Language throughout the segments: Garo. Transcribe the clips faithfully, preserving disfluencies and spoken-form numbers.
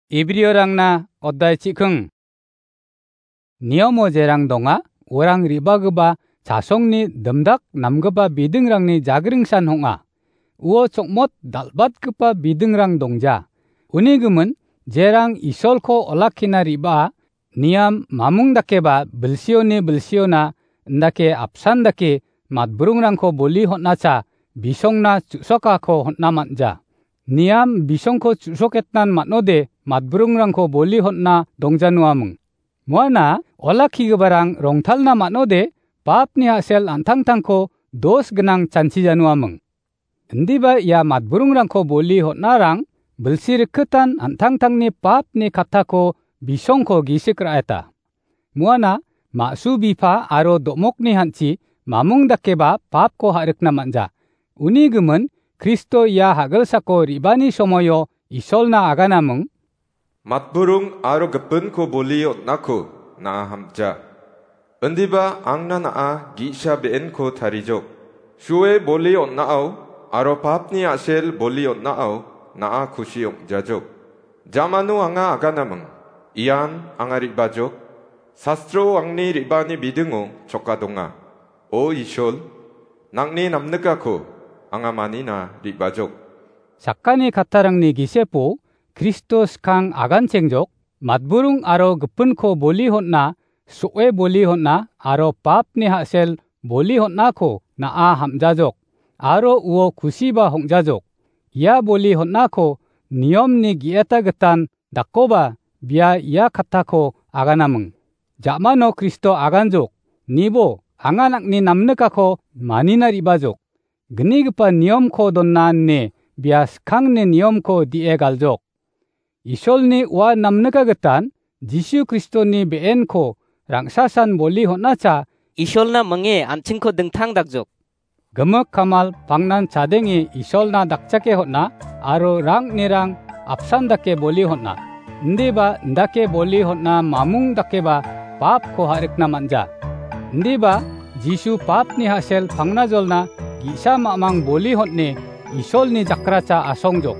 Ibriorangna oddai chikhing. Niomo jerang donga, orang ribagipa chasongni dimdak namgipa bidingrangni jagringsan ong·a. Uo chokmot dal·batgipa bidingrang dongja. Uni gimin, jerang Isolko olakkina riba, niam mamung dakeba bilsioni bilsiona indake apsan dake matburungrangko boli hon·acha bisongna chu·sokako hon·a man·ja. Niam bisongko chu·soketnan man·ode matburungrangko boli hon·a dongjanuaming. Muana olakkigiparang rongtalna man·ode papni a·sel an·tangtangko dos gnang chanchijanuaming. Indiba ia matburungrangko boli hon·arang bilsi rikgitan an·tangtangni papni kattako bisongko gisik ra·eta. Muana ma·su bipa aro do·mokni hanchi mamung dakeba papko ha·rikna man·ja. Uni gimin Kristo ia hagilsako ribani somoio Isolna aganaming. Matburung aro gipinko boli on·ako na·a hamja. Indiba angna na·a gi·sa be·enko tarijok. Sue boli on·ao aro papni a·sel boli on·ao na·a kusi ong·jajok. Jamano anga aganaming. Ian anga re·bajok. Sastro angni re·bani bidingo choka donga. O Isol, nangni namnikako anga manina re·bajok. Sakani kattarangni gisepo Kristo skang aganchengjok, matburung aro gipinko boli hon·a, so·e boli hon·a aro papni ha·sel boli hon·ako na·a hamjajok, aro uo kusiba hong·jajok. Ia boli hon·ako niomni ge·eta gitan dakkoba bia ia kattako aganaming. Ja·mano Kristo aganjok, nibo anga nangni namnikako manina re·bajok. Gnigipa niomko donna ine bia skangni niomko di·e galjok. Isolni ua namnika gitan Jisu Kristoni be·enko rangsasan boli hon·acha Isolna minge an·chingko dingtang dakjok. Gimik kamal pangnan chadenge Isolna dakchake hon·a aro rang·nirang apsan dake boli hon·a. Indiba indake boli hon·a mamung dakeba papko ha·rikna man·ja. Indiba Jisu papni ha·sel pangnajolna ge·sa mamang boli hon·e Isolni jakracha asongjok.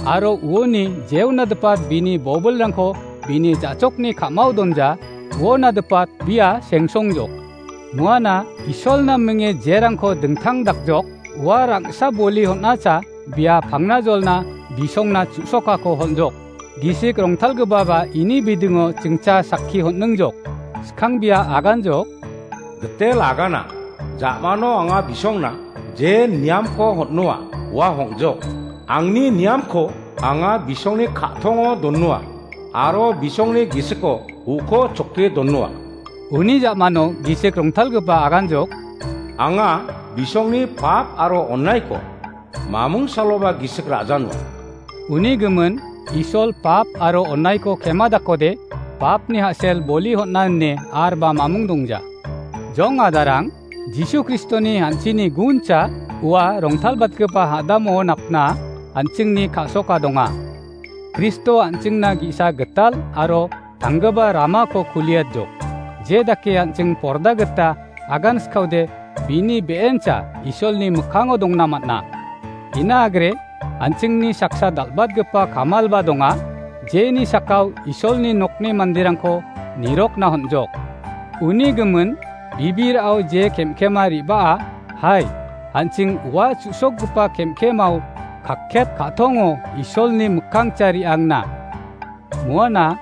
Aro uoni jeonadipat bini bobilrangko bini ja·chokni ka·mao donja, uonadipat bia sengsongjok. Muana Isolna minge jerangko dingtang dakjok, ua rang·sa boli hon·acha bia pangnajolna bisongna chu·sokako hon·jok. Gisik rongtalgipaba ini bidingo chingcha sakki hon·ningjok. Skang bia aganjok. Gitel agana, ja·mano anga bisongna je niamko hon·noa, ua hong·jok. Angni niamko anga bisongni ka·tongo donnoa, aro bisongni gisiko uko choke donnoa. Uni ja·mano gisik rongtalgipa aganjok. Anga bisongni pap aro onaiko mamung saloba gisik ra·janoa. Uni gimin Isol pap aro onaiko kema dakode papni ha·sel boli hon·a ine arba mamung dongja. Jong adarang, Jisu Kristoni an·chingni guncha ua rongtalbatgipa hadamo napna an·chingni ka·soka donga. Kristo an·chingna ge·sa gital aro tanggipa ramako kuliatjok. Je dake an·ching porda gita agan skaode bini be·encha Isolni mikkango dongna man·a. Ina agre, an·chingni saksa dal·batgipa kamalba donga, jeni sakao Isolni nokni manderangko nirokna hon·jok. Uni gimin, bibirao je kem·kema re·baa, hai, an·ching ua chu·sokgipa kem·kemao kakket ka·tongo Isolni mikkangcha re·angna. Muana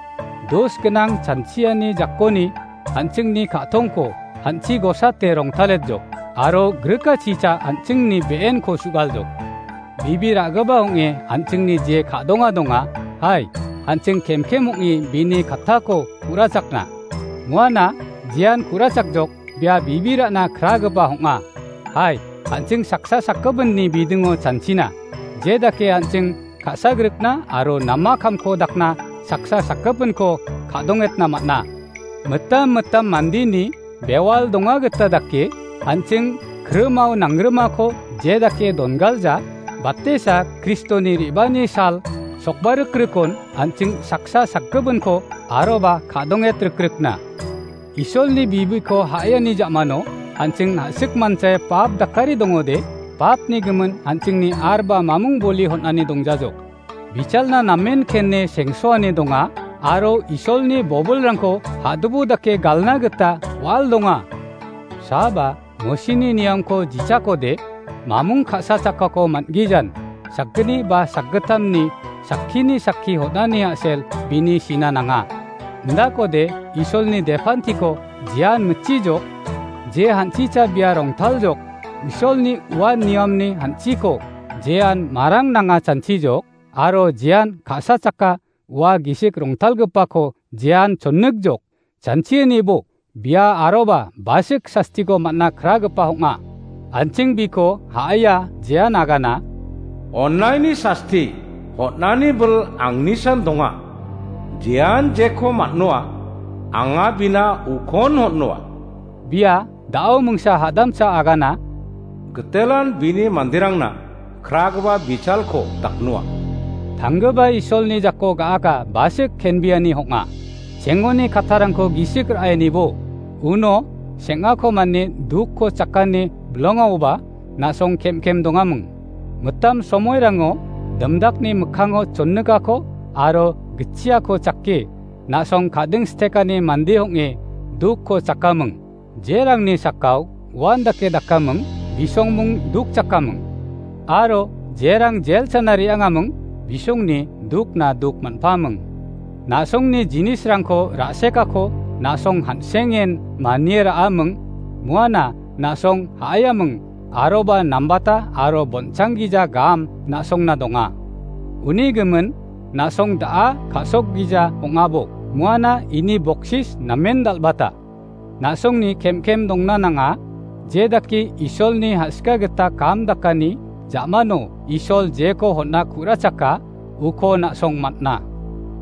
dos gnang chanchiani jakoni an·chingni ka·tongko hanchi gosate rongtaletjok, aro grikachicha an·chingni be·enko su·galjok. Bibi ra·gipa ong·e an·chingni je ka·donga donga, hai, an·ching kemkem ong·e bini kattako ku·rachakna. Muana jean ku·rachakjok bia bibi ra·na kragipa ong·a. Hai, an·ching saksa sakgipinni bidingo chanchina. Je dake an·ching ka·sagrikna aro nama kamko dakna saksa sakgipinko ka·dongetna man·a. Mitam mitam mandeni bewal donga gita dake an·ching krimao nangrimako je dake dongalja, batesa Kristoni re·bani sal sokbarikrikon an·ching saksa sakgipinko aroba ka·donget rikrikna. Isolni bibiko ha·ani ja·mano an·ching na·sik manchae pap dakari dongode, papni gimin an·chingni arba mamung boli hon·ani dongjajok. bichalna namen kene sengsoani donga, aro Isolni bobilrangko hadubu dake galna gita wal donga. Saba Mosini niamko jichakode, mamung ka·sa chakako man·gijan, sakgni ba sakgittamni sakkini sakki hon·ani a·sel bini sina nanga. Indakode Isolni depantiko jean mitchijok, je hanchicha bia rongtaljok, Isolni ua niamni hanchiko jean marang nanga chanchijok, aro jean ka·sa chaka ua gisik rongtalgipako jean chonnikjok, chanchianibo bia aroba basik sastiko man·na kragipa ong·a. An·ching biko ha·aia jean agana. Onnaini sasti hon·ani bil angnisan donga. Jean jeko man·noa, anga bina ukon hon·noa. Bia da·o mingsa hadamsa agana. Gitelan bini manderangna kragipa bichalko daknoa. Tanggipa Isolni jako ga·aka basik kenbiani ong·a. Chengoni kattarangko gisik ra·enibo. Uno seng·ako mane dukko chakani bilongaoba na·song kem-kem dongaming. Mitam somoirango dimdakni mikkango chonnikako aro gitchiako chake na·song kading stekani mande ong·e dukko chakaming. Jerangni sakao uan dake dakaming, bisongming duk chakaming. Aro jerang jel chana re·angaming, bisongni dukna duk man·paming. Na·songni jinisrangko ra·sekako na·song han·sengen manie ra·aming, muana na·song ha·aiaming, aroba nambata aro bonchang gija gam na·songna donga. Uni gimin na·song da·a ka·sok gija ong·abo, muana ini boksis namen dal·bata. Na·songni kem-kem dongna nanga, je dake Isolni ha·sika gita kam dakani ja·mano Isol jeko hon·a ku·rachaka, uko na·song man·a.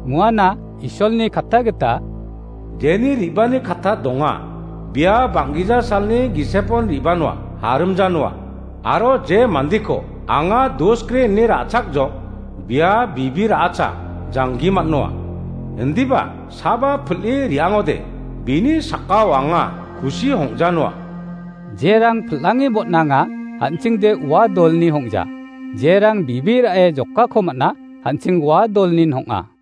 Muana Isolni katta gita, jeni re·bani katta donga, bia bang·gija salni gisepon re·banoa, harimjanoa. Aro je mandeko anga dos gre ine ra·chakjok, bia bibi ra·acha janggi man·noa. Indiba saba pil·e re·angode bini sakao anga kusi hong·janoa. Jerang pil·ange botnanga, an·chingde ua dolni hong·ja. Jerang bibi ra·e jokako man·a, an·ching ua dolnin hong·a.